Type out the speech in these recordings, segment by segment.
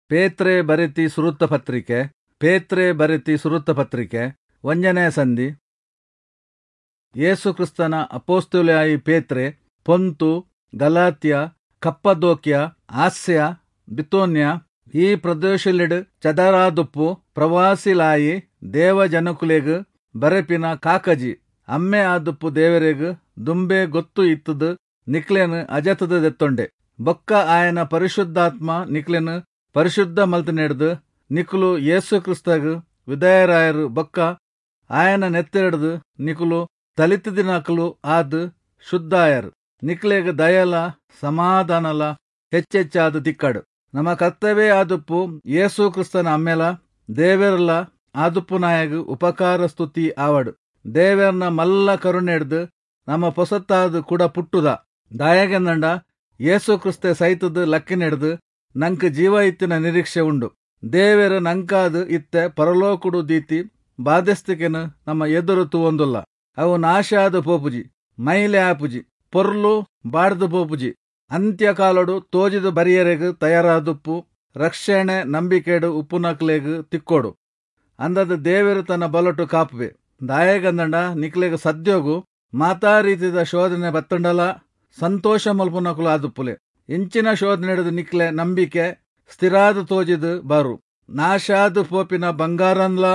ಪೇತ್ರೆ ಬರೆತಿ ಸುರುತ್ತ ಪತ್ರಿಕೆ, ಪೇತ್ರೆ ಬರೆತಿ ಸುರುತ್ತ ಪತ್ರಿಕೆ, ಒಂಜನೇ ಸಂಧಿ. ಯೇಸು ಕ್ರಿಸ್ತನ ಅಪೊಸ್ತಲೆಯಾಯಿ ಪೇತ್ರೆ, ಪೊಂತು, ಗಲಾತ್ಯ, ಕಪ್ಪದೋಕ್ಯ, ಆಸ್ಯ, ಬಿತೋನ್ಯ ಈ ಪ್ರದೇಶಲಿಡ್ ಚದರಾದುಪ್ಪು ಪ್ರವಾಸಿಲಾಯಿ ದೇವಜನಕುಲೆಗ್ ಬರೆಪಿನ ಕಾಕಜಿ ಅಮ್ಮೆ ಆದುಪ್ಪು ದೇವರೆಗ್ ದುಂಬೆ ಗೊತ್ತು ಇತ್ತುದು ನಿಕ್ಲೆನ್ ಅಜತುದು ದೆತ್ತೊಂಡೆ. ಬೊಕ್ಕ ಆಯನ ಪರಿಶುದ್ಧಾತ್ಮ ನಿಕ್ಲೆನ್ ಪರಿಶುದ್ಧ ಮಲ್ತಿನೆಡ್ದ್ ನಿಕುಲು ಯೇಸು ಕ್ರಿಸ್ತಗ್ ವಿಧೇಯರಾಯರು. ಬೊಕ್ಕ ಆಯನ ನೆತ್ತೆರ್ಡ್ದ್ ನಿಕುಲು ತಲಿತಿದಿನಕುಲು ಆದ್ ಶುದ್ಧಾಯರು. ನಿಕ್ಲೆಗ್ ದಯಲ ಸಮಾಧಾನಲ ಹೆಚ್ಚೆಚ್ಚಾದ್ ತಿಕ್ಕಡು. ನಮ್ಮ ಕರ್ತವೇ ಆದುಪ್ಪು ಯೇಸು ಕ್ರಿಸ್ತನ ಅಮ್ಮೆಲ ದೇವೆರ್ಲ ಆದುಪ್ಪುನಾಯಗ್ ಉಪಕಾರ ಸ್ತುತಿ ಆವಡ್. ದೇವೆರ್ನ ಮಲ್ಲ ಕರುಣೆಡ್ದ್ ನಮ್ಮ ಪೊಸತ್ತಾದ್ ಕುಡ ಪುಟ್ಟುದ. ದಾಯೆಗೆಂದಂಡ ಯೇಸು ಕ್ರಿಸ್ತೆ ಸೈತದ್ ಲಕ್ಕಿನೆಡ್ದ್ ನಂಕ್ ಜೀವ ಇತ್ತಿನ ನಿರೀಕ್ಷೆ ಉಂಡು. ದೇವೆರ್ ನಂಕಾದ್ ಇತ್ತೆ ಪರಲೋಕುಡು ದೀತಿ ಬಾಧ್ಯಸ್ತಿಕೆನ್ ನಮ್ಮ ಎದುರು ತೂವೊಂದುಲ್ಲ. ಅವು ನಾಶ ಆದ್ ಪೋಪುಜಿ, ಮೈಲೆ ಆಪುಜಿ, ಪೊರ್ಲು ಬಾಡ್ದು ಪೋಪುಜಿ. ಅಂತ್ಯಕಾಲೊಡು ತೋಜಿದು ಬರಿಯರೆಗ್ ತಯಾರಾದುಪ್ಪು ರಕ್ಷಣೆ ನಂಬಿಕೆಡು ಉಪ್ಪುನಕ್ಲೆಗ್ ತಿಕ್ಕೋಡು. ಅಂದದ ದೇವೆರು ತನ್ನ ಬಲೊಟು ಕಾಪುವೆ. ದಾಯೆಗಂದಂಡ ನಿಕ್ಲೆಗ್ ಸದ್ಯೋಗು ಮಾತಾ ರೀತಿದ ಶೋಧನೆ ಬತ್ತಂಡಲ ಸಂತೋಷ ಮಲ್ಪುನಕುಲು ಆದುಪ್ಪುಲೆ. ಇಂಚಿನ ಶೋಧನೆಡ್ದ್ ನಿಕ್ಲೆ ನಂಬಿಕೆ ಸ್ಥಿರಾದ್ ತೋಜಿದ್ ಬಾರು. ನಾಶಾದ್ ಪೋಪಿನ ಬಂಗಾರನ್ಲ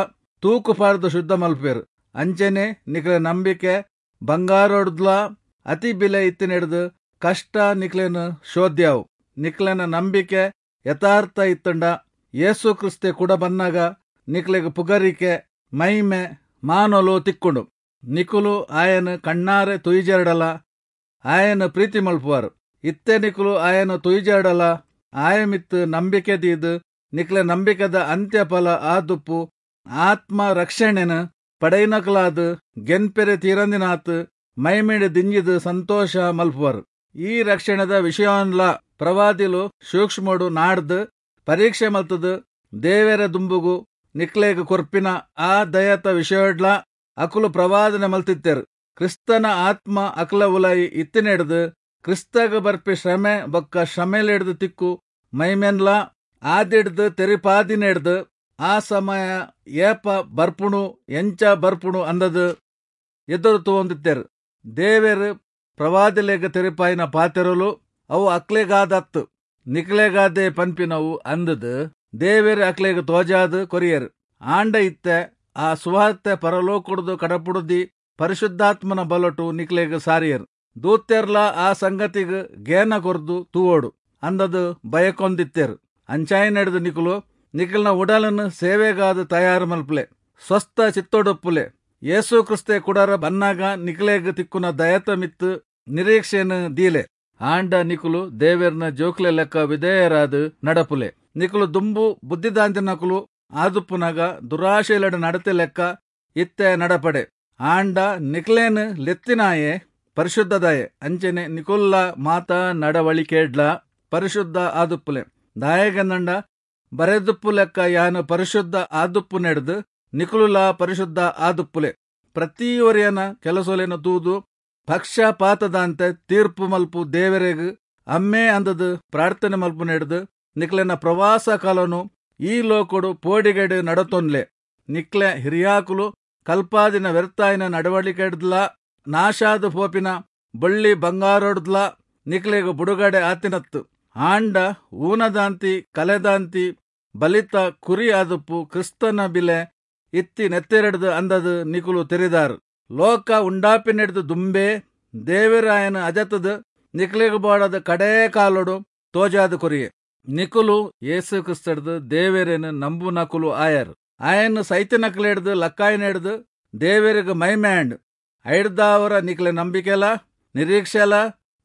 ತೂಕು ಪಾಡ್ದ್ ಶುದ್ಧ ಮಲ್ಪುವೆರ್. ಅಂಚನೆ ನಿಕ್ಲೆ ನಂಬಿಕೆ ಬಂಗಾರೊಡ್ದ್ಲ ಅತಿ ಬಿಲೆ ಇತ್ತಿನೆಡ್ದ್ ಕಷ್ಟ ನಿಕ್ಲೆನ್ ಶೋಧ್ಯಾವು. ನಿಕ್ಲೆನ ನಂಬಿಕೆ ಯಥಾರ್ಥ ಇತ್ತಂಡ ಯೇಸು ಕ್ರಿಸ್ತೆ ಕುಡ ಬನ್ನಗ ನಿಕ್ಲೆಗ್ ಪುಗರಿಕೆ ಮೈಮೆ ಮಾನೊಲು ತಿಕ್ಕುಂಡು. ನಿಕುಲು ಆಯನ್ ಕಣ್ಣಾರೆ ತುಯಿಜೆರ್ಡಲ ಆಯನ್ ಪ್ರೀತಿ ಮಲ್ಪುವಾರ್. ಇತ್ತೆ ನಿಕುಲು ಆಯನ್ ತುಯಿಜೆರ್ಡಲ ಆಯ ಮಿತ್ತ್ ನಂಬಿಕೆ ದೀದ್ ನಿಕ್ಲೆ ನಂಬಿಕೆದ ಅಂತ್ಯಫಲ ಆದುಪ್ಪು ಆತ್ಮ ರಕ್ಷಣೆನ್ ಪಡೆಯಿನಕುಲಾದ್ ಗೆನ್ಪೆರೆ ತೀರಂದಿನಾತ್ ಮೈಮೆಡ್ ದಿಂಜಿದ್ ಸಂತೋಷ ಮಲ್ಪುವರು. ಈ ರಕ್ಷಣೆದ ವಿಷಯನ್ಲ ಪ್ರವಾದಿಲು ಸೂಕ್ಷ್ಮೊಡು ನಾಡ್ದ್ ಪರೀಕ್ಷೆ ಮಲ್ತುದು ದೇವೆರ ದುಂಬುಗು ನಿಕ್ಲೆಗ್ ಕೊರ್ಪಿನ ಆ ದಯತ ವಿಷಯಡ್ಲ ಅಕುಲು ಪ್ರವಾದನೆ ಮಲ್ತಿತ್ತೆರ್. ಕ್ರಿಸ್ತನ ಆತ್ಮ ಅಕ್ಲ ಉಲಯಿ ಇತ್ತಿನೆಡ್ದ್ ಕ್ರಿಸ್ತಗ್ ಬರ್ಪಿ ಶ್ರಮೆ ಬೊಕ್ಕ ಶ್ರಮೆಲೆಡ್ದ್ ತಿಕ್ಕು ಮೈಮೆನ್ಲ ಆದಿಡ್ದ್ ತೆರಿಪಾದಿನೆಡ್ದ್ ಆ ಸಮಯ ಏಪ ಬರ್ಪುಣು ಎಂಚ ಬರ್ಪುಣು ಅಂದದ್ ಎದುರು ತೂವೊಂದಿತ್ತೆರ್. ದೇವೆರ್ ಪ್ರವಾದಿಲೆಗ್ ತೆರಿಪಾಯಿನ ಪಾತೆರಲು ಅವು ಅಕ್ಲೆಗಾದತ್ತು ನಿಕ್ಲೆಗಾದೆ ಪನ್ಪಿನವು ಅಂದದ್ ದೇವೆರ್ ಅಕ್ಲೆಗ್ ತೋಜಾದ್ ಕೊರಿಯೆರ್. ಆಂಡ ಇತ್ತೆ ಆ ಸುವಾರ್ತೆ ಪರಲೋಕುಡ್ದು ಕಡಪುಡುದಿ ಪರಿಶುದ್ಧಾತ್ಮನ ಬಲೊಟು ನಿಕ್ಲೆಗ್ ಸಾರಿಯೆರ್. ದೂತೆರ್ಲ ಆ ಸಂಗತಿಗ್ ಗೇನ ಕೊರ್ದು ತೂವೋಡು ಅಂದದ್ ಬಯಕೊಂದಿತ್ತೆರ್. ಅಂಚಾಯಿನೆಡ್ದ್ ನಿಕುಲು ನಿಕಲ್ನ ಉಡಲನ್ನು ಸೇವೆಗಾದ್ ತಯಾರು ಮಲ್ಪುಲೆ, ಸ್ವಸ್ಥ ಚಿತ್ತೊಡುಪ್ಪುಲೆ. ಯೇಸು ಕ್ರಿಸ್ತೆ ಕುಡರ ಬನ್ನಾಗ ನಿಕ್ಲೆಗ್ ತಿಕ್ಕುನ ದಯತ ಮಿತ್ತ್ ನಿರೀಕ್ಷೆನ್ ದೀಲೆ. ಆಂಡ ನಿಕುಲು ದೇವೆರ್ನ ಜೋಕ್ಲೆ ಲೆಕ್ಕ ವಿಧೇಯರಾದ್ ನಡಪುಲೆ. ನಿಕುಲು ದುಂಬು ಬುದ್ಧಿದಾಂತಿನಕುಲು ಆದುಪ್ಪುನಗ ದುರಾಶೆಲೆಡ್ ನಡತೆ ಲೆಕ್ಕ ಇತ್ತೆ ನಡಪಡೆ. ಆಂಡ ನಿಕ್ಲೇನ್ ಲೆತ್ತಿನಾಯೆ ಪರಿಶುದ್ಧದಾಯೆ, ಅಂಚನೆ ನಿಕುಲ್ಲ ಮಾತಾ ನಡವಳಿಕೆಡ್ಲ ಪರಿಶುದ್ಧ ಆದುಪ್ಪುಲೆ. ದಾಯೆಗಂದಂಡ ಬರೆದುಪ್ಪು ಲೆಕ್ಕ ಯಾನು ಪರಿಶುದ್ಧ ಆದುಪ್ಪುನೆಡ್ದ್ ನಿಕುಲುಲ ಪರಿಶುದ್ಧ ಆದುಪ್ಪುಲೆ. ಪ್ರತಿಯೊರಿಯನ ಕೆಲಸೊಲೆನ್ ತೂದು ಪಕ್ಷಪಾತದಾಂತೆ ತೀರ್ಪು ಮಲ್ಪು ದೇವೆರೆಗ್ ಅಮ್ಮೆ ಅಂದದ್ ಪ್ರಾರ್ಥನೆ ಮಲ್ಪುನೆಡ್ದ್ ನಿಕ್ಲೆನ ಪ್ರವಾಸ ಕಾಲನು ಈ ಲೋಕೊಡು ಪೋಡಿಗೆಡ್ ನಡತೊನ್ಲೆ. ನಿಕ್ಲೆ ಹಿರಿಯಾಕುಲು ಕಲ್ಪಾದಿನ ವ್ಯರ್ಥಾಯಿನ ನಡವಳಿಕೆಡ್ದ್ಲ ನಾಶಾದ್ ಪೋಪಿನ ಬಳ್ಳಿ ಬಂಗಾರೊಡ್ದ್ಲ ನಿಕ್ಲೆಗ್ ಬುಡುಗಡೆ ಆತಿನತ್ತು. ಆಂಡ ಊನದಾಂತಿ ಕಲೆದಾಂತಿ ಬಲಿತ ಕುರಿ ಆದುಪ್ಪು ಕ್ರಿಸ್ತನ ಬಿಲೆ ಇತ್ತಿ ನೆತ್ತೆರೆಡ್ದ್ ಅಂದದ್ ನಿಕುಲು ತೆರಿದಾರ್. ಲೋಕ ಉಂಡಾಪಿನೆಡ್ದ್ ದುಂಬೇ ದೇವೆರಾಯನ ಅಜತದ್ ನಿಕ್ಲೆಗ್ ಬೋಡಾದ ಕಡೇ ಕಾಲೊಡು ತೋಜಾದ್ ಕೊರಿಯೆ. ನಿಕುಲು ಯೇಸು ಕ್ರಿಸ್ತಡ್ದ್ ದೇವೆರೆನ್ ನಂಬುನಕುಲು ಆಯರ್. ಆಯನ್ ಸೈತಿನಕುಲೆಡ್ದ್ ಲಕ್ಕಾಯಿನೆಡ್ದ್ ದೇವೆರೆಗ್ ಮೈಮೆ ಆಂಡ್. ಐಡ್ದಾವರ ನಿಕ್ಲೆ ನಂಬಿಕೆಲ ನಿರೀಕ್ಷೆಲ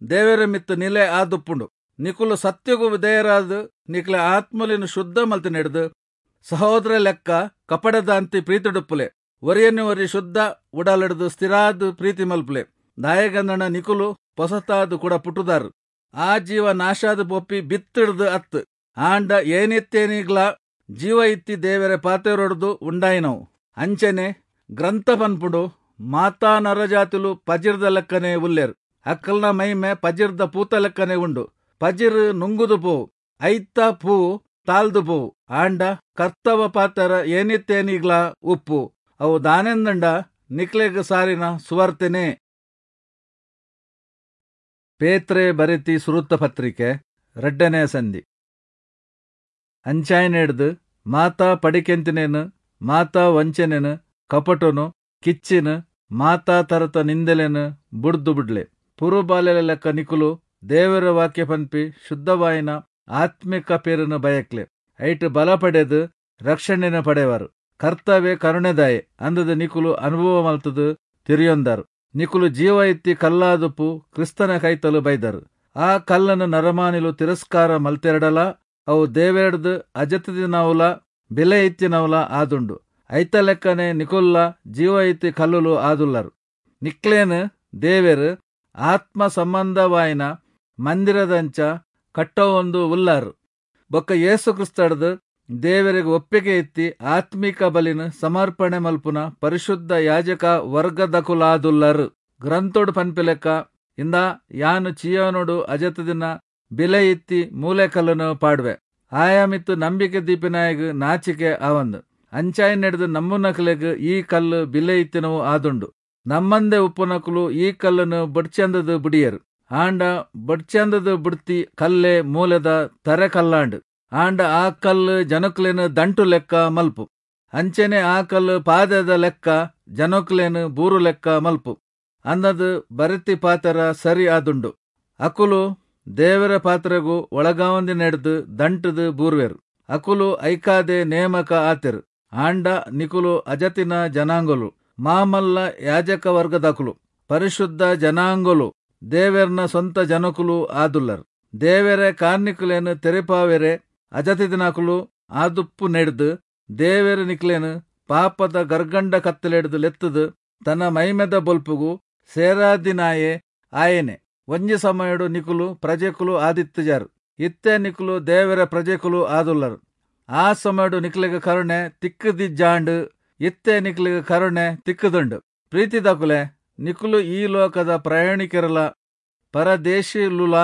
ದೇವೆರ ಮಿತ್ತ್ ನಿಲೆ ಆದುಪ್ಪುಂಡು. ನಿಕುಲು ಸತ್ಯಗು ವಿಧೇಯರಾದ್ ನಿಕ್ಲೆ ಆತ್ಮಲೆನ್ ಶುದ್ಧ ಮಲ್ತಿನೆಡ್ದ್ ಸಹೋದರ ಲೆಕ್ಕ ಕಪಡದಾಂತಿ ಪ್ರೀತಿಡುಪ್ಪುಲೆ. ಒರಿಯನು ಒರಿ ಶುದ್ಧ ಉಡಲೆಡ್ದ್ ಸ್ಥಿರಾದ್ ಪ್ರೀತಿ ಮಲ್ಪುಲೆ. ದಾಯೆಗಂದಣ ನಿಕುಲು ಪೊಸತಾದ್ ಕೂಡ ಪುಟ್ಟುದಾರ್. ಆ ಜೀವ ನಾಶಾದ್ ಪೊಪ್ಪಿ ಬಿತ್ತಿಡ್ದು ಅತ್ತು, ಆಂಡ ಏನಿತ್ತೇನಿಗ್ಲ ಜೀವ ಇತ್ತಿ ದೇವೆರೆ ಪಾತೆರೊಡ್ದು ಉಂಡಾಯಿನವು. ಅಂಚನೆ ಗ್ರಂಥ ಪನ್ಪುಂಡು, ಮಾತಾ ನರಜಾತಿಲು ಪಜಿರ್ದ ಲೆಕ್ಕನೆ ಉಲ್ಲೆರ್, ಅಕ್ಕಲ್ನ ಮೈಮೆ ಪಜಿರ್ದ ಪೂತ ಲೆಕ್ಕನೆ ಉಂಡು. ಪಜಿರ್ ನುಂಗುದು ಪೋವು, ಐತ ಪೂ ತಾಲ್ದು ಪೋವು. ಆಂಡ ಕರ್ತವ ಪಾತರ ಏನಿತ್ತೇನಿಗ್ಲಾ ಉಪ್ಪು. ಅವು ದಾನೆಂದಂಡ ನಿಕ್ಲೆಗ್ ಸಾರಿನ ಸುವಾರ್ತೆನೇ. ಪೇತ್ರೆ ಬರೆತಿ ಸುರುತ್ತ ಪತ್ರಿಕೆ 2ನೇ ಸಂಧಿ. ಅಂಚಾಯಿನೆಡ್ದ್ ಮಾತಾ ಪಡಿಕೆಂತಿನೆನ್, ಮಾತಾ ವಂಚನೆನ್, ಕಪಟೊನು, ಕಿಚ್ಚಿನ್, ಮಾತಾ ತರತ ನಿಂದೆಲೆನ್ ಬುಡ್ದು ಬುಡ್ಲೆ. ಪುರುಬಾಲೆల ಲೆಕ್ಕ ನಿಕುಲು ದೇವರ ವಾಕ್ಯ ಪನ್ಪಿ ಶುದ್ಧವಾಯಿನ ಆತ್ಮಿಕ ಪೇರನ್ನು ಬಯಕ್ಲೆ. ಐಟ್ ಬಲ ಪಡೆದು ರಕ್ಷಣೆನ ಪಡೆವರು. ಕರ್ತವ್ಯ ಕರುಣೆದಾಯೆ ಅಂದದ ನಿಕುಲು ಅನುಭವ ಮಲ್ತದು ತಿರಿಯೊಂದರು. ನಿಕುಲು ಜೀವ ಇತ್ತಿ ಕಲ್ಲಾದುಪ್ಪು ಕ್ರಿಸ್ತನ ಕೈತಲು ಬೈದರು. ಆ ಕಲ್ಲನ್ನು ನರಮಾನಿಲು ತಿರಸ್ಕಾರ ಮಲ್ತೆರಡಲ ಅವು ದೇವೆರ್ದು ಅಜತದಿನವುಲ ಬೆಲೆ ಇತ್ತಿನವುಲ ಆದುಂಡು. ಐತ ಲೆಕ್ಕನೆ ನಿಕುಲ್ಲ ಜೀವ ಇತ್ತಿ ಕಲ್ಲುಲು ಆದುಲ್ಲರು. ನಿಕ್ಲೇನು ದೇವೆರು ಆತ್ಮ ಸಂಬಂಧವಾಯಿನ ಮಂದಿರದಂಚ ಕಟ್ಟವೊಂದು ಉಲ್ಲಾರು. ಬೊಕ್ಕ ಯೇಸು ಕ್ರಿಸ್ತಡ್ದು ದೇವರಿಗೆ ಒಪ್ಪಿಗೆ ಇತ್ತಿ ಆತ್ಮಿಕ ಬಲಿನ ಸಮರ್ಪಣೆ ಮಲ್ಪುನ ಪರಿಶುದ್ಧ ಯಾಜಕ ವರ್ಗದಕುಲಾದುಲ್ಲರು. ಗ್ರಂಥೋಡು ಪನ್ಪಿಲೆಕ್ಕ ಇಂದ ಯಾನು ಚಿಯೋನೋಡು ಅಜತದಿನ ಬಿಲೆ ಇತ್ತಿ ಮೂಲೆ ಕಲ್ಲನ್ನು ಪಾಡುವೆ. ಆಯಾಮಿತ್ತು ನಂಬಿಕೆ ದೀಪಿನಾಯಗ್ ನಾಚಿಕೆ ಆವಂದು. ಅಂಚಾಯಿ ನಡೆದು ನಮ್ಮುನಕಲೆಗ್ ಈ ಕಲ್ಲು ಬಿಲೆ ಇತ್ತಿನವು ಆದುಂಡು. ನಮ್ಮಂದೆ ಉಪ್ಪುನಕುಲು ಈ ಕಲ್ಲನ್ನು ಬಡ್ಚಂದದು ಬುಡಿಯರು. ಆಂಡ ಬಡ್ಚಂದದು ಬುಡ್ತಿ ಕಲ್ಲೆ ಮೂಲೆದ ತರೆ ಕಲ್ಲಾಂಡು. ಆಂಡ ಆ ಕಲ್ಲು ಜನಕ್ಲೇನು ದಂಟು ಲೆಕ್ಕ ಮಲ್ಪು. ಅಂಚೆನೆ ಆ ಕಲ್ಲು ಪಾದದ ಲೆಕ್ಕ ಜನಕ್ಲೇನು ಬೂರು ಲೆಕ್ಕ ಮಲ್ಪು ಅನ್ನದು ಬರೆತಿ ಪಾತರ ಸರಿ ಆದುಂಡು. ಅಕುಲು ದೇವರ ಪಾತ್ರೆಗೂ ಒಳಗಾವಂದಿ ನಡೆದು ದಂಟದು ಬೂರ್ವೆರು. ಅಕುಲು ಐಕಾದೆ ನೇಮಕ ಆತೆರು. ಆಂಡ ನಿಕುಲು ಅಜತಿನ ಜನಾಂಗಲು, ಮಾಮಲ್ಲ ಯಾಜಕ ವರ್ಗದಕುಲು, ಪರಿಶುದ್ಧ ಜನಾಂಗಲು, ದೇವೆರ್ನ ಸ್ವಂತ ಜನಕುಲು ಆದುಲ್ಲರು. ದೇವೆರೆ ಕಾರ್ನಿಕುಲೇನು ತೆರೆಪಾವೆರೆ ಅಜತಿದಿನಕುಲು ಆದುಪ್ಪು ನೆಡ್ದು ದೇವೆರ ನಿಕ್ಲೇನು ಪಾಪದ ಗರ್ಗಂಡ ಕತ್ತಲೆಡ್ದು ಲೆತ್ತದು ತನ್ನ ಮೈಮೆದ ಬೊಲ್ಪುಗು ಸೇರಾದಿನಾಯೆ ಆಯನೆ. ಒಂಜಿ ಸಮಯಡು ನಿಕುಲು ಪ್ರಜೆಕುಲು ಆದಿತ್ತಜಾರು. ಇತ್ತೆ ನಿಕುಲು ದೇವರ ಪ್ರಜೆಕುಲು ಆದುಲ್ಲರು. ಆ ಸಮಯಡು ನಿಕ್ಲೆಗ ಕರುಣೆ ತಿಕ್ಕದಿಜ್ಜಾಂಡು. ಇತ್ತೆ ನಿಕ್ಲೆಗ ಕರುಣೆ ತಿಕ್ಕದುಂಡು. ಪ್ರೀತಿದಕುಲೆ, ನಿಕುಲು ಈ ಲೋಕದ ಪ್ರಯಾಣಿಕರಲ ಪರದೇಶಿಲುಲ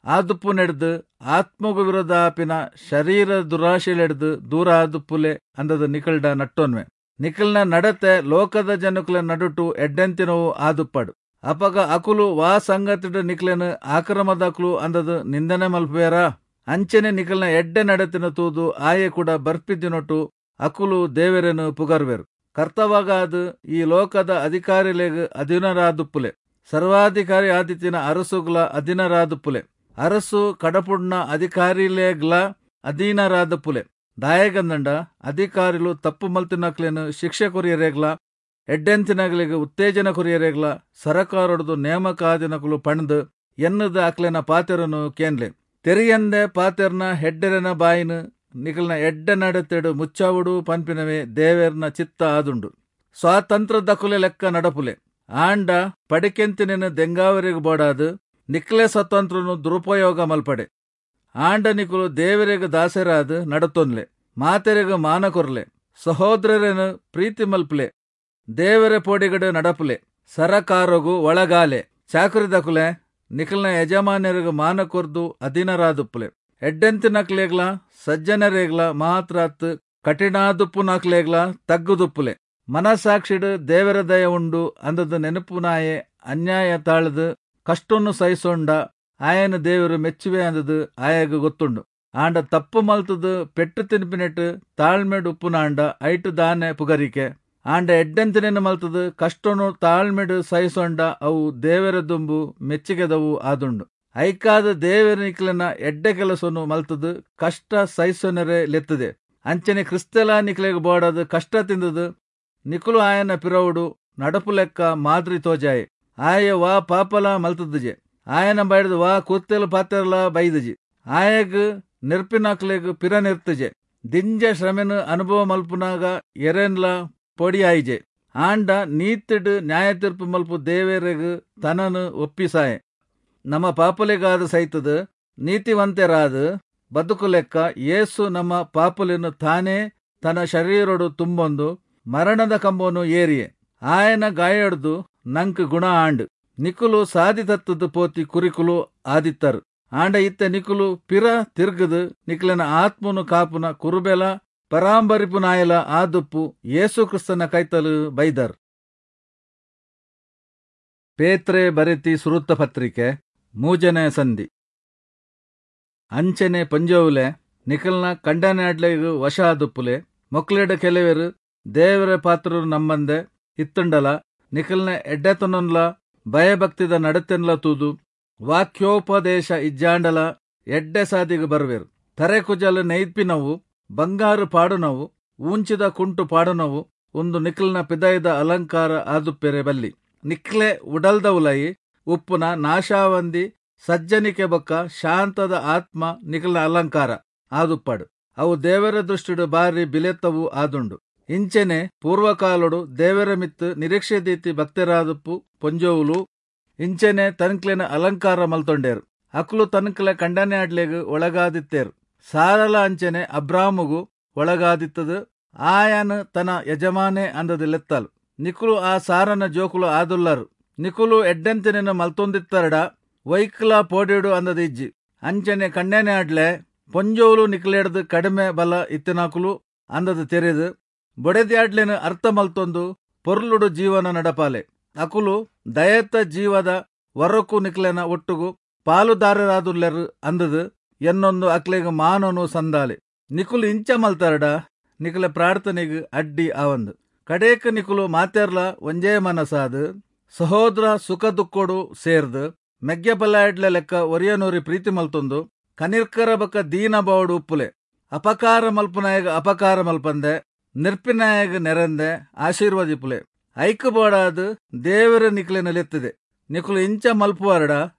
ಆದುಪ್ಪು ನೆಡ್ದು ಆತ್ಮಗು ವಿರೋಧ ಆಪಿನ ಶರೀರ ದುರಾಶೆಲೆಡ್ದು ದೂರ ಆದುಪ್ಪುಲೆ ಅಂದದ ನಿಕಲ್ಡ ನಟ್ಟೊನ್ವೆ. ನಿಕಲ್ನ ನಡತೆ ಲೋಕದ ಜನಕುಲ ನಡುಟು ಎಡ್ಡೆಂತಿನವು ಆದುಪ್ಪಡು. ಅಪಗ ಅಕುಲು ವಾ ಸಂಗತಿಡು ನಿಕ್ಲೆನು ಆಕ್ರಮದಕುಲು ಅಂದದು ನಿಂದನೆ ಮಲ್ಪುವೇರಾ? ಅಂಚನೆ ನಿಕಲ್ನ ಎಡ್ಡೆ ನಡತಿನ ತೂದು ಆಯೆ ಕೂಡ ಬರ್ಪಿದಿನೊಟ್ಟು ಅಕುಲು ದೇವರನ್ನು ಪುಗರ್ವೆರು. ಕರ್ತವಾಗಾದ ಈ ಲೋಕದ ಅಧಿಕಾರಿಲೆಗ್ ಅಧೀನರಾದುಪ್ಪುಲೆ. ಸರ್ವಾಧಿಕಾರಿ ಆದಿತ್ತಿನ ಅರಸುಗ್ಲ ಅಧೀನರಾದುಪ್ಪುಲೆ. ಅರಸು ಕಡಪುಡ್ನ ಅಧಿಕಾರಿಲೆಗ್ಲ ಅಧೀನರಾದುಪ್ಪುಲೆ. ದಾಯಗಂದಂಡ ಅಧಿಕಾರಿಲು ತಪ್ಪು ಮಲ್ತಿನಕ್ಲೇನು ಶಿಕ್ಷೆ ಕೊರಿಯರೇಗ್ಲ, ಎಡ್ಡೆಂತಿನಗಲಿಗೆ ಉತ್ತೇಜನ ಕೊರಿಯರೇಗ್ಲ ಸರಕಾರೊಡ್ದು ನೇಮಕಾದಿನಕುಲು ಪಣ್ದು ಎನ್ನದ ಅಕ್ಲೆನ ಪಾತೆರನು ಕೇನ್ಲೆ. ತೆರಿಯಂದೆ ಪಾತೆರ್ನ ಹೆಡ್ಡೆರನ ಬಾಯಿನ ನಿಕಲ್ನ ಎಡ್ಡೆ ನಡತೆಡು ಮುಚ್ಚಾವುಡು ಪನ್ಪಿನವೇ ದೇವೆರ್ನ ಚಿತ್ತ ಆದುಂಡು. ಸ್ವಾತಂತ್ರ್ಯದಕುಲೆ ಲೆಕ್ಕ ನಡಪುಲೆ. ಆಂಡ ಪಡಿಕೆಂತಿನ ದೆಂಗಾವರಿಗೆ ಬೋಡಾದು ನಿಕ್ಲೆ ಸ್ವತಂತ್ರನು ದುರುಪಯೋಗ ಮಲ್ಪಡೆ. ಆಂಡ ನಿಕುಲು ದೇವರಿಗೆ ದಾಸರಾದ ನಡತೊನ್ಲೆ. ಮಾತೆರೆಗ ಮಾನ ಕೊರ್ಲೆ. ಸಹೋದರರನ್ನು ಪ್ರೀತಿ ಮಲ್ಪಲೆ. ದೇವರ ಪೋಡಿಗಡು ನಡಪುಲೆ. ಸರಕಾರಗು ಒಳಗಾಲೆ. ಚಾಕರಿದಕುಲೆ ನಿಕಲ್ನ ಯಜಮಾನ್ಯರಿಗೆ ಮಾನ ಕೊರ್ದು ಅಧೀನರಾದುಪ್ಪುಲೆ. ಎಡ್ಡೆಂತಿನಕ್ಲೇಗ್ಲ ಸಜ್ಜನರೇಗ್ಲ ಮಾತ್ರ ಕಠಿಣಾದುಪ್ಪುನಕ್ಲೇಗ್ಲ ತಗ್ಗುದುಪ್ಪುಲೆ. ಮನಸಾಕ್ಷಿಡು ದೇವರ ದಯ ಉಂಡು ಅಂದದ ನೆನಪುನಾಯೆ ಅನ್ಯಾಯ ತಾಳದು ಕಷ್ಟನ್ನು ಸಹಿಸೊಂಡ ಆಯನ ದೇವರು ಮೆಚ್ಚುವೆ ಅಂದದು ಆಯಗ ಗೊತ್ತುಂಡು. ಆಂಡ ತಪ್ಪು ಮಲ್ತದು ಪೆಟ್ಟು ತಿನ್ಪಿನೆಟ್ಟು ತಾಳ್ಮೆಡು ಉಪ್ಪುನಾಂಡ ಐಟು ದಾನೆ ಪುಗರಿಕೆ. ಆಂಡ ಎಡ್ಡೆಂತಿನ ಮಲ್ತದು ಕಷ್ಟನು ತಾಳ್ಮೆಡು ಸಹಿಸೊಂಡ ಅವು ದೇವರ ದುಂಬು ಮೆಚ್ಚಿಗೆದವು ಆದುಂಡು. ಐಕಾದ ದೇವರ ನಿಕ್ಲೆನ ಎಡ್ಡೆ ಕೆಲಸನು ಮಲ್ತದು ಕಷ್ಟ ಸಹಿಸೊನರೆ ಲೆತ್ತದೆ. ಅಂಚನೆ ಕ್ರಿಸ್ತಲ ನಿಕ್ಲೆಗ್ ಬೋಡದು ಕಷ್ಟ ತಿಂದದು ನಿಕುಲು ಆಯನ ಪಿರವುಡು ನಡಪು ಲೆಕ್ಕ ಮಾದರಿ ತೋಜಾಯೆ. ಆಯ ವಾ ಪಾಪಲ ಮಲ್ತದುಜೆ. ಆಯನ ಬೈಡ್ದು ವಾ ಕೂತೆಲು ಪಾತೆರಲ ಬೈದುಜಿ. ಆಯಗ್ ನೆರ್ಪಿನಕ್ಲೆಗ್ ಪಿರ ನಿರ್ತುಜೆ. ದಿಂಜ ಶ್ರಮೆನು ಅನುಭವ ಮಲ್ಪುನಾಗ ಎರೆನ್ಲ ಪೊಡಿಯಾಯಿಜೆ. ಆಂಡ ನೀತಿಡು ನ್ಯಾಯ ತೀರ್ಪು ಮಲ್ಪು ದೇವರೆಗ್ ತನನು ಒಪ್ಪಿಸಾಯೆ. ನಮ್ಮ ಪಾಪಲೆಗಾದ ಸೈತದ ನೀತಿವಂತರಾದ ಬದುಕು ಲೆಕ್ಕ ಯೇಸು ನಮ್ಮ ಪಾಪಲೆನು ತಾನೇ ತನ್ನ ಶರೀರೊಡು ತುಂಬೊಂದು ಮರಣದ ಕಂಬನು ಏರಿಯೆ. ಆಯನ ಗಾಯೊಡ್ದು ನಂಕ್ ಗುಣ ಆಂಡ್. ನಿಕುಲು ಸಾದಿ ತತ್ತದು ಪೋತಿ ಕುರಿಕುಲು ಆದಿತ್ತರು. ಆಂಡ ಇತ್ತೆ ನಿಕುಲು ಪಿರ ತಿರ್ಗದು ನಿಕ್ಲೆನ ಆತ್ಮನು ಕಾಪುನ ಕುರುಬೆಲ ಪರಾಂಬರಿಪುನಾಯಲ ಆದುಪ್ಪು ಯೇಸು ಕ್ರಿಸ್ತನ ಕೈತಲು ಬೈದರ್. ಪೇತ್ರೆ ಬರೆತಿ ಸುರುತ್ತ ಪತ್ರಿಕೆ 3ನೇ ಸಂಧಿ. ಅಂಚನೆ ಪಂಜೋವುಲೆ ನಿಕಲ್ನ ಕಂಡನಾಡ್ಲೆಗ್ ವಶ ಆದುಪ್ಪುಲೆ. ಮೊಕ್ಲೆಡ ಕೆಲವೆರು ದೇವರ ಪಾತ್ರರು ನಮ್ಮಂದೆ ಇತ್ತುಂಡಲ ನಿಕಲ್ನ ಎಡ್ಡೆತನೊನ್ಲ ಭಯಭಕ್ತಿದ ನಡತೆನ್ಲ ತೂದು ವಾಕ್ಯೋಪದೇಶ ಇಜ್ಜಾಂಡಲ ಎಡ್ಡೆ ಸಾದಿಗೆ ಬರುವೆರು. ತರೆಕುಜಲು ನೈಪಿನವು, ಬಂಗಾರು ಪಾಡುನವು, ಊಂಚಿದ ಕುಂಟು ಪಾಡುನವು ಒಂದು ನಿಕ್ಲ್ನ ಪಿದಾಯ್ದ ಅಲಂಕಾರ ಆದುಪ್ಪೆರೆ ಬಲ್ಲಿ. ನಿಕ್ಲೆ ಉಡಲ್ದ ಉಲಯಿ ಉಪ್ಪುನ ನಾಶಾವಂದಿ ಸಜ್ಜನಿಕೆ ಬೊಕ್ಕ ಶಾಂತದ ಆತ್ಮ ನಿಕ್ಲ್ನ ಅಲಂಕಾರ ಆದುಪ್ಪಾಡು. ಅವು ದೇವರ ದೃಷ್ಟಿಡು ಬಾರಿ ಬಿಲೆತ್ತವು ಆದುಂಡು. ಇಂಚೆನೆ ಪೂರ್ವಕಾಲೊಡು ದೇವರ ಮಿತ್ತು ನಿರೀಕ್ಷೆ ದೀತಿ ಭಕ್ತರಾದುಪ್ಪು ಪೊಂಜೋವುಲು ಇಂಚೆನೆ ತನ್ಕ್ಲೆನ ಅಲಂಕಾರ ಮಲ್ತೊಂಡೇರು. ಅಕ್ಲು ತನ್ಕ್ಲೆ ಕಂಡನೆ ಅಡ್ಲೆಗ್ ಒಳಗಾದಿತ್ತೇರು. ಸಾರಲ ಅಂಚೆನೆ ಅಬ್ರಾಮುಗು ಒಳಗಾದಿತ್ತದು. ಆಯನ್ ತನ್ನ ಯಜಮಾನೆ ಅಂದದ ಲೆತ್ತಲು. ನಿಕುಲು ಆ ಸಾರನ ಜೋಕುಲು ಆದುಲ್ಲರು. ನಿಕುಲು ಎಡ್ಡೆಂತಿನ ಮಲ್ತೊಂದಿತ್ತರಡ ವೈಕ್ಲ ಪೋಡಿಡು ಅಂದದ ಇಜ್ಜಿ. ಅಂಚನೆ ಕಂಡನೆ ಅಡ್ಲೆ ಪೊಂಜೋವುಲು ನಿಕ್ಲೆಡ್ದು ಕಡಿಮೆ ಬಲ ಇತ್ತಿನಾಕುಲು ಅಂದದ ತೆರೆದು ಬೊಡೆದ್ಯಾಡ್ಲೆನ ಅರ್ಥ ಮಲ್ತೊಂದು ಪೊರ್ಲುಡು ಜೀವನ ನಡಪಾಲೆ. ಅಕುಲು ದಯತ್ತ ಜೀವದ ವರಕ್ಕೂ ನಿಕ್ಲೆನ ಒಟ್ಟುಗು ಪಾಲುದಾರರಾದುಲ್ಲೆರು ಅಂದದು ಎನ್ನೊಂದು ಅಕ್ಲೆಗ್ ಮಾನನು ಸಂದಾಲೆ. ನಿಕುಲು ಇಂಚ ಮಲ್ತಾರಡ ನಿಕುಲ ಪ್ರಾರ್ಥನೆಗ್ ಅಡ್ಡಿ ಆವಂದು. ಕಡೇಕ ನಿಕುಲು ಮಾತೆರ್ಲ ಒಂಜೇ ಮನಸಾದು ಸಹೋದರ ಸುಖ ದುಃಖೋಡು ಸೇರ್ದು ಮೆಗ್ಯ ಪಲ್ಲಾಡ್ಲೆ ಲೆಕ್ಕ ಒರಿಯನೋರಿ ಪ್ರೀತಿ ಮಲ್ತೊಂದು ಕನಿರ್ಕರ ಬಕ್ಕ ದೀನ ಬಾವಡು ಉಪ್ಪುಲೆ. ಅಪಕಾರ ಮಲ್ಪನಾಯಗ ಅಪಕಾರ ಮಲ್ಪಂದೆ ನಿರ್ಪಿನಾಯಗ ನೆರಂದೆ ಆಶೀರ್ವಾದಿಪುಲೆ. ಐಕು ಬೋಡಾದು ದೇವರ ನಿಕ್ಲೆನ ಲೆತ್ತದೆ. ನಿಕುಲು ಇಂಚ ಮಲ್ಪುವಾರಡ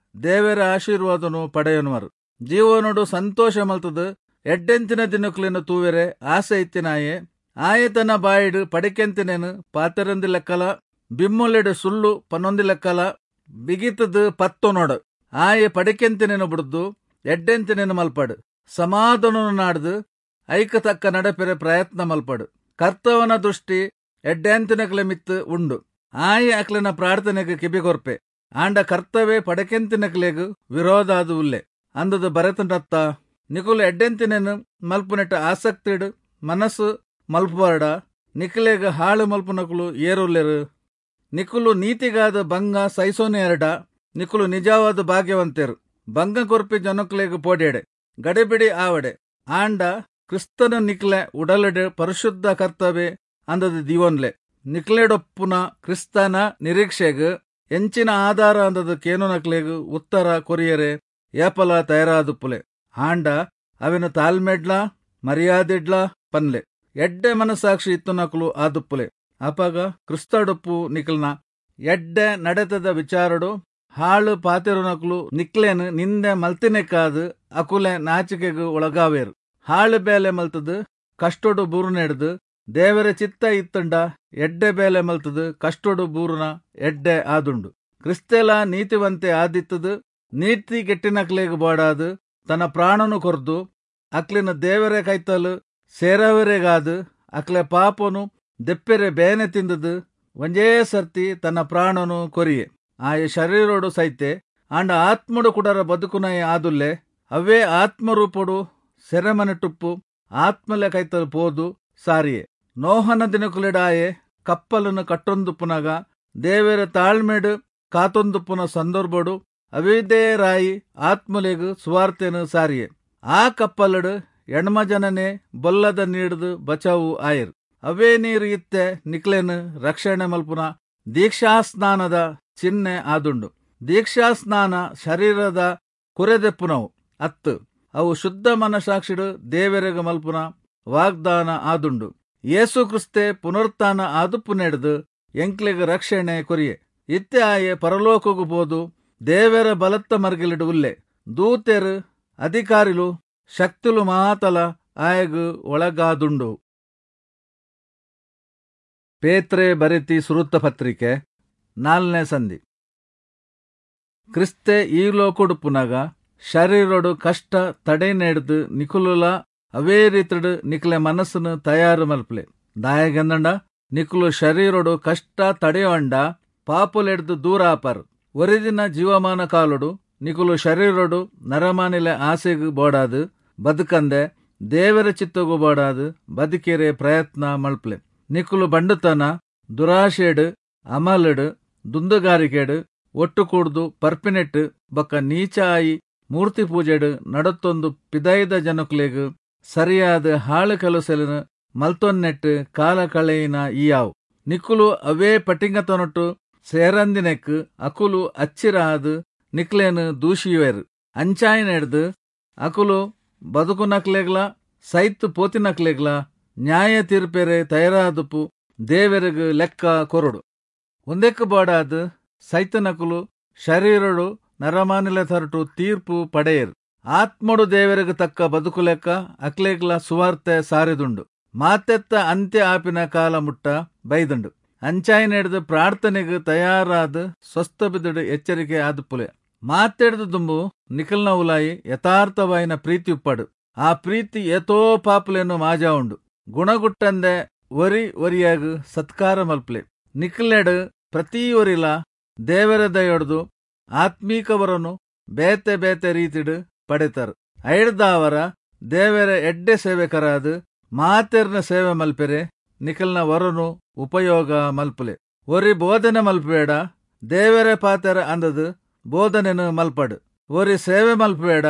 ದೇವರ ಆಶೀರ್ವಾದನು ಪಡೆಯನುವರು. ಜೀವನೋಡು ಸಂತೋಷ ಮಲ್ತದು ಎಡ್ಡೆಂತಿನ ದಿನಕ್ಲೆನ ತೂವೆರೆ ಆಸೆ ಇತ್ತಿನಾಯೆ ಆಯೆ ತನ್ನ ಬಾಯಿಡು ಪಡಿಕೆಂತಿನೇನು ಪಾತೆರಂದಿ ಲೆಕ್ಕಲ, ಬಿಮ್ಮೊಲೆಡು ಸುಳ್ಳು ಪನ್ನೊಂದಿ ಲೆಕ್ಕಲ ಬಿಗಿತದು ಪತ್ತೊನೋಡು. ಆಯೆ ಪಡಿಕೆಂತಿನೇನು ಬಿಡ್ದು ಎಡ್ಡೆಂತಿನೇನು ಮಲ್ಪಡು. ಸಮಾಧಾನ ನಾಡ್ದು ಐಕ ತಕ್ಕ ನಡಪೆರೆ ಪ್ರಯತ್ನ ಮಲ್ಪಡು. ಕರ್ತವನ ದೃಷ್ಟಿ ಎಡ್ಡೆಂತಿನಕ್ಲೆ ಮಿತ್ತು ಉಂಡು. ಆಯೆ ಅಕ್ಲೆನ ಪ್ರಾರ್ಥನೆಗೆ ಕಿಬಿಗೊರ್ಪೆ. ಆಂಡ ಕರ್ತವೇ ಪಡಕೆಂತಿನಕ್ಲೆಗ್ ವಿರೋಧ ಅದು ಉಲ್ಲೆ ಅಂದದು ಬರೆತಂಡತ್ತ. ನಿಕುಲು ಎಡ್ಡೆಂತಿನೇನು ಮಲ್ಪುನೆಟ್ಟ ಆಸಕ್ತಿಡು ಮನಸ್ಸು ಮಲ್ಪುವಾರಡ ನಿಕ್ಲೆಗ್ ಹಾಳು ಮಲ್ಪುನಕುಲು ಏರುಲ್ಲೆರು. ನಿಕುಲು ನೀತಿಗಾದ ಭಂಗ ಸೈಸೋನೆ ಎರಡ ನಿಕುಲು ನಿಜವಾದ ಭಾಗ್ಯವಂತೆರು. ಭಂಗ ಕೊರ್ಪಿ ಜನಕ್ಲೆಗ್ ಪೋಡ್ಯಡೆ ಗಡಿಬಿಡಿ ಆವಡೆ. ಆಂಡ ಕ್ರಿಸ್ತನ ನಿಕ್ಲೆ ಉಡಲಡೆ ಪರಿಶುದ್ಧ ಕರ್ತವ್ಯ ಅಂದದ ದಿವನ್ಲೆ. ನಿಕ್ಲೆಡೊಪ್ಪುನ ಕ್ರಿಸ್ತನ ನಿರೀಕ್ಷೆಗ್ ಎಂಚಿನ ಆಧಾರ ಅಂದದ ಕೇನುನಕ್ಲೆಗ್ ಉತ್ತರ ಕೊರಿಯರೆ ಏಪಲ ತಯಾರಾದುಪ್ಪುಲೆ. ಆಂಡ ಅವೆನು ತಾಳ್ಮೆಡ್ಲ ಮರ್ಯಾದಿಡ್ಲ ಪನ್ಲೆ. ಎಡ್ಡೆ ಮನಸಾಕ್ಷಿ ಇತ್ತುನಕುಲು ಆದುಪ್ಪುಲೆ. ಅಪಗ ಕ್ರಿಸ್ತಡೊಪ್ಪು ನಿಕ್ಲ್ನ ಎಡ್ಡೆ ನಡೆತದ ವಿಚಾರಡು ಹಾಳು ಪಾತೆರುನಕುಲು ನಿಕ್ಲೇನು ನಿಂದೆ ಮಲ್ತಿನೆಕ್ಕಾದು ಅಕುಲೆ ನಾಚಿಕೆಗು ಒಳಗಾವೇರು. ಹಾಳು ಬೇಲೆ ಮಲ್ತದು ಕಷ್ಟೊಡು ಬೂರುನೆಡ್ದು ದೇವರ ಚಿತ್ತ ಇತ್ತಂಡ ಎಡ್ಡೆ ಬೇಲೆ ಮಲ್ತದು ಕಷ್ಟೊಡು ಬೂರುನ ಎಡ್ಡೆ ಆದುಂಡು. ಕ್ರಿಸ್ತೆಲ ನೀತಿವಂತೆ ಆದಿತ್ತದು ನೀತಿ ಕೆಟ್ಟಿನಕ್ಲೆಗ್ ಬೋಡಾದು ತನ್ನ ಪ್ರಾಣನು ಕೊರ್ದು ಅಕ್ಲಿನ ದೇವರ ಕೈತಲು ಸೇರವರೆಗಾದು ಅಕ್ಲೆ ಪಾಪನು ದೆಪ್ಪೆರೆ ಬೇನೆ ತಿಂದದು ಒಂಜೇ ಸರ್ತಿ ತನ್ನ ಪ್ರಾಣನು ಕೊರಿಯೆ. ಆಯ ಶರೀರೋಡು ಸೈತೆ ಆಂಡ ಆತ್ಮಡು ಕುಡರ ಬದುಕುನಯ ಆದುಲ್ಲೆ. ಅವೇ ಆತ್ಮರೂಪಡು ಸೆರೆಮನೆಟುಪ್ಪು ಆತ್ಮಲೆ ಕೈತಲು ಪೋದು ಸಾರಿಯೆ. ನೋಹನ ದಿನಕುಲೆಡಾಯೆ ಕಪ್ಪಲನ್ನು ಕಟ್ಟೊಂದುಪ್ಪುನಗ ದೇವರ ತಾಳ್ಮೆಡು ಕಾತೊಂದುಪ್ಪುನ ಸಂದರ್ಭಡು ಅವಿದೇರಾಯಿ ಆತ್ಮಲೆಗು ಸುವಾರ್ತೆನು ಸಾರಿಯೆ. ಆ ಕಪ್ಪಲಡು ಎಣ್ಮ ಜನನೇ ಬೊಲ್ಲದ ನೀಡ್ದು ಬಚಾವು ಆಯರು. ಅವೇ ನೀರು ಇತ್ತೆ ನಿಕ್ಲೆನು ರಕ್ಷಣೆ ಮಲ್ಪುನ ದೀಕ್ಷಾಸ್ನಾನದ ಚಿಹ್ನೆ ಆದುಂಡು. ದೀಕ್ಷಾಸ್ನಾನ ಶರೀರದ ಕುರೆದೆಪ್ಪುನವು ಅತ್ತು ಅವು ಶುದ್ಧ ಮನಸಾಕ್ಷಿಡು ದೇವರೆಗ ಮಲ್ಪುನ ವಾಗ್ದಾನ ಆದುಂಡು. ಯೇಸು ಕ್ರಿಸ್ತೆ ಪುನರುತ್ಥಾನ ಆದುಪ್ಪು ನೆಡ್ದು ಎಂಕ್ಲೆಗ್ ರಕ್ಷಣೆ ಕೊರಿಯೆ. ಇತ್ತೆ ಆಯೆ ಪರಲೋಕಗು ಪೋದು ದೇವರ ಬಲತ್ತ ಮರ್ಗಿಲಿಡು ಉಲ್ಲೆ. ದೂತೆರು ಅಧಿಕಾರಿಲು ಶಕ್ತಿಲು ಮಾತಲ ಆಯಗು ಒಳಗಾದುಂಡು. ಪೇತ್ರೆ ಬರೆತಿ ಸುರುತ್ತ ಪತ್ರಿಕೆ 4ನೇ ಸಂಧಿ. ಕ್ರಿಸ್ತೆ ಈ ಲೋಕೊಡುಪ್ಪುನಗ ಶರೀರೊಡು ಕಷ್ಟ ತಡೆ ನೆಡ್ದು ನಿಕುಲುಲ ಅವೇ ರೀತಿಡು ನಿಕ್ಲೆ ಮನಸ್ಸನ್ನು ತಯಾರು ಮಲ್ಪಲೆ. ದಾಯಗಂದಂಡ ನಿಕುಲು ಶರೀರೊಡು ಕಷ್ಟ ತಡೆಯೊಂಡ ಪಾಪುಲೆಡ್ದು ದೂರ ಆಪರ್. ಒರಿದಿನ ಜೀವಮಾನ ಕಾಲೊಡು ನಿಕುಲು ಶರೀರೊಡು ನರಮಾನಿಲೆ ಆಸೆಗ್ ಬೋಡಾದ್ ಬದುಕಂದೆ ದೇವರ ಚಿತ್ತಗು ಬೋಡಾದ್ ಬದುಕೆರೆ ಪ್ರಯತ್ನ ಮಲ್ಪಲೆ. ನಿಕುಲು ಬಂಡುತನ, ದುರಾಶೆಡ್, ಅಮಲಡ್, ದುಂದುಗಾರಿಕೆಡ್ ಒಟ್ಟು ಕೂಡ್ದು ಪರ್ಪಿನೆಟ್ ಬೊಕ್ಕ ನೀಚ ಆಯಿ ಮೂರ್ತಿ ಪೂಜೆಡ್ ನಡತೊಂದು ಪಿದೈದ ಜನಕುಲೆಗ್ ಸರಿಯಾದ ಹಾಳು ಕೆಲಸಲೆನ್ ಮಲ್ತೊನ್ನೆಟ್ ಕಾಲ ಕಳೆಯಿನ ಇಯಾವು. ನಿಕುಲು ಅವೇ ಪಟಿಂಗತನೊಟ್ಟು ಸೇರಂದಿನೆಕ್ ಅಕುಲು ಅಚ್ಚಿರ ಆದ್ ನಿಕ್ಲೇನ್ ದೂಷಿಯುವೆರ್. ಅಂಚಾಯಿನೆಡ್ದ್ ಅಕುಲು ಬದುಕುನಕ್ಲೆಗ್ಲ ಸೈತ್ ಪೋತಿನಕ್ಲೆಗ್ಲ ನ್ಯಾಯ ತೀರ್ಪೆರೆ ತಯಾರಾದುಪ್ಪು ದೇವೆರೆಗ್ ಲೆಕ್ಕ ಕೊರೊಡು. ಉಂದೆಕ್ ಬೋಡಾದ್ ಸೈತನಕುಲು ಶರೀರೊಡು ನರಮಾನಿಲೆ ತರಟು ತೀರ್ಪು ಪಡೆಯೆರ್. ಆತ್ಮೊಡು ದೇವೆರೆಗ್ ತಕ್ಕ ಬದುಕುಲೆಕ್ಕ ಅಕ್ಲೆಗ್ಲ ಸುವಾರ್ತೆ ಸಾರಿದುಂಡು. ಮಾತೆತ್ತ ಅಂತ್ಯ ಆಪಿನ ಕಾಲ ಮುಟ್ಟ ಬೈದುಂಡು. ಅಂಚಾಯಿನೆಡ್ದ್ ಪ್ರಾರ್ಥನೆಗ್ ತಯಾರಾದ್ ಸ್ವಸ್ಥಬಿದುಡು ಎಚ್ಚರಿಕೆ ಆದುಪ್ಪುಲೆ. ಮಾತೆಡ್ದ್ ದುಂಬು ನಿಕಲ್ನ ಉಲಾಯಿ ಯಥಾರ್ಥವಾಯಿನ ಪ್ರೀತಿ ಉಪ್ಪಡು. ಆ ಪ್ರೀತಿ ಏತೋ ಪಾಪುಲೆನ್ ಮಾಜಾವುಂಡು. ಗುಣಗುಟ್ಟಂದೆ ಒರಿ ಒರಿಯಾಗ್ ಸತ್ಕಾರ ಮಲ್ಪಲೆ. ನಿಕ್ಲೆಡ್ ಪ್ರತಿ ಒರಿಲ ದೇವರ ದಯೊಡ್ದು ಆತ್ಮೀಕವರನು ಬೇತೆ ಬೇತೆ ರೀತಿಡ್ ಪಡೆತರ್. ಐಡ್ದಾವರ ದೇವರ ಎಡ್ಡೆ ಸೇವೆಕರಾದ್ ಮಾತೆರ್ನ ಸೇವೆ ಮಲ್ಪೆರೆ ನಿಕಲ್ನ ವರನು ಉಪಯೋಗ ಮಲ್ಪುಲೆ. ಒರಿ ಬೋಧನೆ ಮಲ್ಪುವೇಡ ದೇವರ ಪಾತೆರ ಅಂದದ್ ಬೋಧನೆನು ಮಲ್ಪಡು. ಒರಿ ಸೇವೆ ಮಲ್ಪುವೇಡ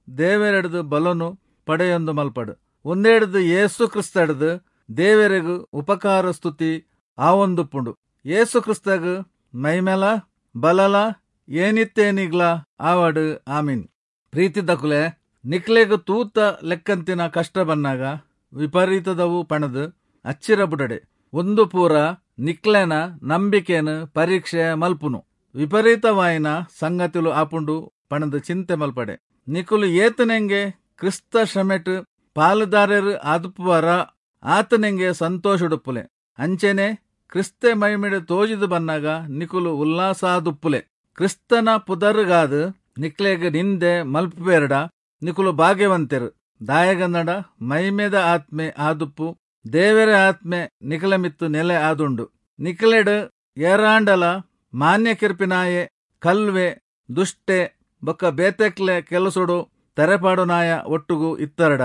ದೇವರೆಡ್ದು ಬಲನು ಪಡೆಯೊಂದು ಮಲ್ಪಡು. ಒಂದೆಡ್ದು ಯೇಸು ಕ್ರಿಸ್ತಡ್ದು ದೇವರೆಗ್ ಉಪಕಾರ ಸ್ತುತಿ ಆವೊಂದುಪ್ಪುಂಡು. ಯೇಸು ಕ್ರಿಸ್ತಗ್ ಮೈಮೆಲ ಬಲಲ ಏನಿತ್ತೇನಿಗ್ಲ ಆವಡ್. ಆಮೀನ್. ಪ್ರೀತಿದಕುಲೆ, ನಿಕ್ಲೆಗ್ ತೂತ ಲೆಕ್ಕಂತಿನ ಕಷ್ಟ ಬನ್ನಾಗ ವಿಪರೀತದವು ಪಣದು ಅಚ್ಚಿರ ಬುಡಡೆ. ಒಂದು ಪೂರ ನಿಕ್ಲೆನ ನಂಬಿಕೆನ್ ಪರೀಕ್ಷೆ ಮಲ್ಪುನು. ವಿಪರೀತವಾಯಿನ ಸಂಗತಿಲು ಆಪುಂಡು ಪಣದು ಚಿಂತೆ ಮಲ್ಪಡೆ. ನಿಕುಲು ಏತನೆಂಗೆ ಕ್ರಿಸ್ತ ಶ್ರಮೆಟ್ ಪಾಲುದಾರರು ಆದುಪ್ಪುವಾರ ಆತನೆಂಗೆ ಸಂತೋಷಡುಪ್ಪುಲೆ. ಅಂಚೆನೆ ಕ್ರಿಸ್ತೆ ಮೈಮಿಡು ತೋಜಿದು ಬನ್ನಾಗ ನಿಕುಲು ಉಲ್ಲಾಸಾದುಪ್ಪುಲೆ. ಕ್ರಿಸ್ತನ ಪುದರುಗಾದ್ ನಿಕ್ಲೆಗ್ ನಿಂದೆ ಮಲ್ಪುವೇರ್ಡ ನಿಕುಲು ಭಾಗ್ಯವಂತೆರು. ದಾಯಗನ್ನಡ ಮೈಮೆದ ಆತ್ಮೆ ಆದುಪ್ಪು ದೇವರ ಆತ್ಮೆ ನಿಕಲ ಮಿತ್ತು ನೆಲೆ ಆದುಂಡು. ನಿಕಲೆಡ್ ಏರಾಂಡಲ ಮಾನ್ಯ ಕಿರ್ಪಿನಾಯೆ, ಕಲ್ವೆ, ದುಷ್ಟೆ ಬೊಕ್ಕ ಬೇತೆಕ್ಲೆ ಕೆಲಸೊಡು ತೆರೆಪಾಡುನಾಯ ಒಟ್ಟುಗು ಇತ್ತರಡ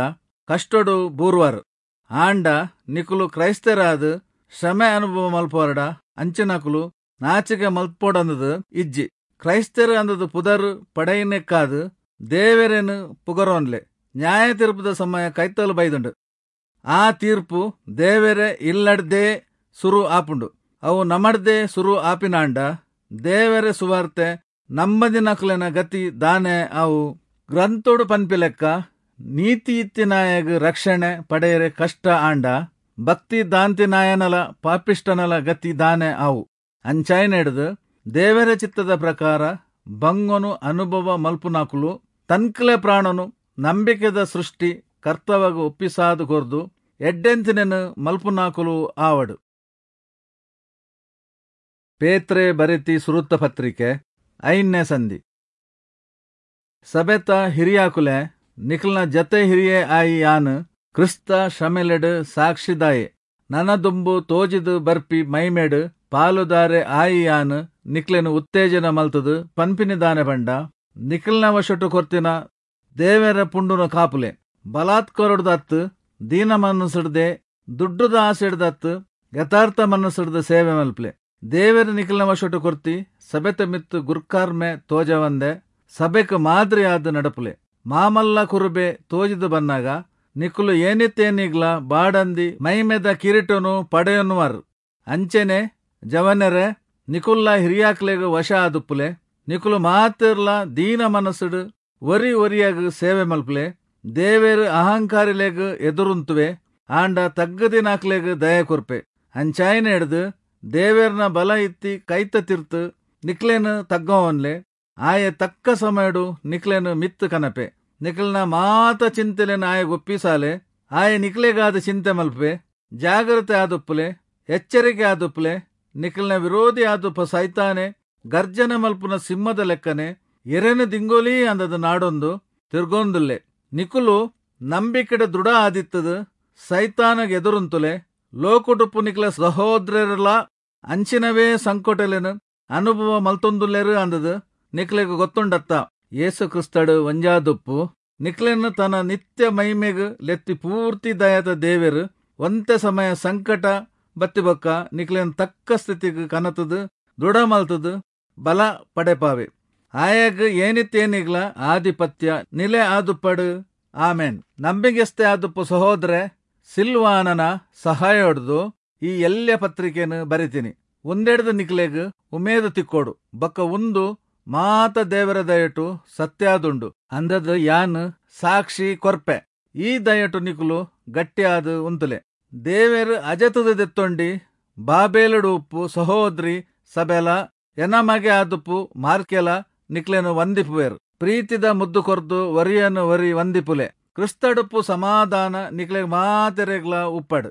ಕಷ್ಟೊಡು ಬೂರ್ವಾರ್. ಆಂಡ ನಿಕುಲು ಕ್ರೈಸ್ತರಾದ್ ಶ್ರಮೆ ಅನುಭವ ಮಲ್ಪುವರಡ ಅಂಚಿನಕುಲು ನಾಚಿಕೆ ಮಲ್ಪೊಡಂದದು ಇಜ್ಜಿ. ಕ್ರೈಸ್ತರು ಅಂದದು ಪುದರ್ ಪಡೆಯಿನೆಕ್ಕಾದ್ ದೇವರೇನು ಪುಗರೋನ್ಲೆ. ನ್ಯಾಯ ತೀರ್ಪುದ ಸಮಯ ಕೈತಲು ಬೈದುಂಡು. ಆ ತೀರ್ಪು ದೇವರೇ ಇಲ್ಲಡ್ದೇ ಸುರು ಆಪುಂಡು. ಅವು ನಮಡ್ದೇ ಸುರು ಆಪಿನಾಂಡ ದೇವರ ಸುವಾರ್ತೆ ನಂಬದಿನಕುಲೆನ ಗತಿ ದಾನೆ ಅವು. ಗ್ರಂಥೋಡು ಪನ್ಪಿಲೆಕ್ಕ ನೀತಿ ಇತ್ತಿನಾಯಗ್ ರಕ್ಷಣೆ ಪಡೆಯರೆ ಕಷ್ಟ ಆಂಡ ಭಕ್ತಿ ದಾಂತಿನಾಯನಲ ಪಾಪಿಷ್ಟನಲ ಗತಿ ದಾನೆ ಅವು. ಅಂಚಾಯಿನೆಡ್ದು ದೇವರ ಚಿತ್ತದ ಪ್ರಕಾರ ಬಂಗೊನು ಅನುಭವ ಮಲ್ಪುನಾಕುಲು ತನ್ಕಲೆ ಪ್ರಾಣನು ನಂಬಿಕೆದ ಸೃಷ್ಟಿ ಕರ್ತವಗ ಒಪ್ಪಿಸಾದು ಕೊರ್ದು ಎಡ್ಡೆಂತಿನೆನು ಮಲ್ಪುನಾಕುಲು ಆವಡು. ಪೇತ್ರೆ ಬರೆತಿ ಸುರುತ್ತ ಪತ್ರಿಕೆ 5ನೇ ಸಂಧಿ. ಸಬೆತ ಹಿರಿಯಾಕುಲೆ, ನಿಕಲ್ನ ಜತೆ ಹಿರಿಯೇ ಆಯಿ ಯಾನ್ ಕ್ರಿಸ್ತ ಶ್ರಮೆಲೆಡ್ ಸಾಕ್ಷಿದಾಯೆ. ನನ ದುಂಬು ತೋಜಿದು ಬರ್ಪಿ ಮೈಮೆಡ್ ಪಾಲುದಾರೆ ಆಯಿ ಯಾನ್ ನಿಕ್ಲೆನು ಉತ್ತೇಜನ ಮಲ್ತದು ಪನ್ಪಿನಿದಾನೆ ಬಂಡ ನಿಕಲ್ನ ವಶಟು ಕೊರ್ತಿನ ದೇವರ ಪುಂಡುನ ಕಾಪುಲೆ. ಬಲಾತ್ಕರೊಡ್ದತ್ತು, ದೀನ ಮನಸ್ಸುಡ್ದೆ, ದುಡ್ಡುದ ಆಸೆಡ್ದತ್ತು, ಯಥಾರ್ಥ ಮನಸ್ಸುಡ್ದ ಸೇವೆ ಮಲ್ಪಲೆ. ದೇವರ ನಿಕಲ್ನ ವಶಟು ಕೊರ್ತಿ ಸಭೆತ ಮಿತ್ತು ಗುರ್ಕಾರ್ಮೆ ತೋಜವಂದೆ ಸಭೆಕ್ ಮಾದರಿಯಾದ ನಡಪುಲೆ. ಮಾಮಲ್ಲ ಕುರುಬೆ ತೋಜಿದು ಬನ್ನಾಗ ನಿಕುಲು ಏನಿತ್ತೇನಿಗ್ಲ ಬಾಡಂದಿ ಮೈಮೆದ ಕಿರೀಟನು ಪಡೆಯನ್ನುವರು. ಅಂಚೆನೆ ಜವನರೆ, ನಿಕುಲ್ಲ ಹಿರಿಯಾಕ್ಲೆಗ್ ವಶ ಆದುಪ್ಪುಲೆ. ನಿಕುಲು ಮಾತಿರ್ಲ ದೀನ ಮನಸ್ಸುಡು ಒರಿ ಒರಿಯಾಗ ಸೇವೆ ಮಲ್ಪುಲೆ. ದೇವೇರು ಅಹಂಕಾರಿಲೆಗ್ ಎದುರುಂತುವೆ, ಆಂಡ ತಗ್ಗದಿನಾಕ್ಲೆಗ್ ದಯ ಕೊರ್ಪೆ. ಅಂಚಾಯಿನ ಹಿಡ್ದು ದೇವೇರ್ನ ಬಲ ಇತ್ತಿ ಕೈತ ತಿರ್ತು ನಿಕ್ಲೇನು ತಗ್ಗವನ್ಲೆ. ಆಯೆ ತಕ್ಕ ಸಮಯಡು ನಿಕ್ಲೇನು ಮಿತ್ತು ಕನಪೆ. ನಿಕ್ಲನ ಮಾತ ಚಿಂತೆಲೆನು ಆಯೆ ಒಪ್ಪಿಸಾಲೆ. ಆಯೆ ನಿಕ್ಲೆಗಾದ ಚಿಂತೆ ಮಲ್ಪೆ. ಜಾಗ್ರತೆ ಆದುಪ್ಪುಲೆ, ಎಚ್ಚರಿಕೆ ಆದುಪ್ಪುಲೆ. ನಿಕ್ಲನ ವಿರೋಧಿ ಆದುಪ್ಪ ಸೈತಾನೆ ಗರ್ಜನೆ ಮಲ್ಪುನ ಸಿಂಹದ ಲೆಕ್ಕನೆ ಎರೆನು ದಿಂಗೋಲಿ ಅಂದದ ನಾಡೊಂದು ತಿರ್ಗೊಂದುಲ್ಲೆ. ನಿಕುಲು ನಂಬಿಕೆಡ ದೃಢ ಆದಿತ್ತದು ಸೈತಾನಗೆ ಎದುರುಂತುಲೆ. ಲೋಕುಡುಪ್ಪು ನಿಕ್ಲ ಸಹೋದರಲ ಅಂಚಿನವೇ ಸಂಕೋಟಲೆನು ಅನುಭವ ಮಲ್ತೊಂದುಲ್ಲೆರು ಅಂದದು ನಿಕ್ಲೆಗ್ ಗೊತ್ತುಂಡತ್ತ. ಯೇಸು ಕ್ರಿಸ್ತಡು ಒಂಜಾದುಪ್ಪು ನಿಕ್ಲೆನ್ ತನ ನಿತ್ಯ ಮಹಿಮೆಗ್ ಲೆತ್ತಿ ಪೂರ್ತಿ ದಯತ ದೇವೆರ್ ಒಂತೆ ಸಮಯ ಸಂಕಟ ಬತ್ತಿ ಬೊಕ್ಕ ನಿಕ್ಲೆನ್ ತಕ್ಕ ಸ್ಥಿತಿಗ್ ಕನತುದು ದೃಢ ಮಲ್ತುದು ಬಲ ಪಡೆಪಾವೆ. ಆಯಗ್ ಏನಿತ್ಯೇನಿಗ್ಲ ಆಧಿಪತ್ಯ ನಿಲೆ ಆದುಪ್ಪಡು. ಆಮೆನ್. ನಂಬಿಗಸ್ತೆ ಆದುಪ್ಪು ಸಹೋದರೆ ಸಿಲ್ವಾನನ ಸಹಾಯೊಡ್ದು ಈ ಎಲ್ಯ ಪತ್ರಿಕೆನ್ ಬರೆತಿನಿ. ಉಂದೆಡ್ದ್ ನಿಕ್ಲೆಗ್ ಉಮೇದ್ ತಿಕ್ಕೊಡು ಬೊಕ್ಕ ಉಂದು ಮಾತ ದೇವೆರೆ ದಯೊಟು ಸತ್ಯಾದುಂಡು ಅಂದ್ದ್ ಯಾನ್ ಸಾಕ್ಷಿ ಕೊರ್ಪೆ. ಈ ದಯೊಟು ನಿಕುಲು ಗಟ್ಟಿ ಆದ್ ಉಂತುಲೆ. ದೇವೆರ್ ಅಜತ್ದ್ ದೆತ್ತೊಂಡಿ ಬಾಬೆಲುಡು ಉಪ್ಪು ಸಹೋದ್ರಿ ಸಭೆಲಾ ಎನ ಮಗೆ ಆದುಪ್ಪು ಮಾರ್ಕೆಲಾ ನಿಕ್ಲೆನ್ ವಂದಿಪುವೆರ್. ಪ್ರೀತಿದ ಮುದ್ದು ಕೊರ್ದು ಒರಿಯನ್ ಒರಿ ವಂದಿಪುಲೆ. ಕ್ರಿಸ್ತಡುಪ್ಪು ಸಮಾಧಾನ ನಿಕ್ಲೆಗ್ ಮಾತೆರೆಗ್ಲಾ ಉಪ್ಪಡ್.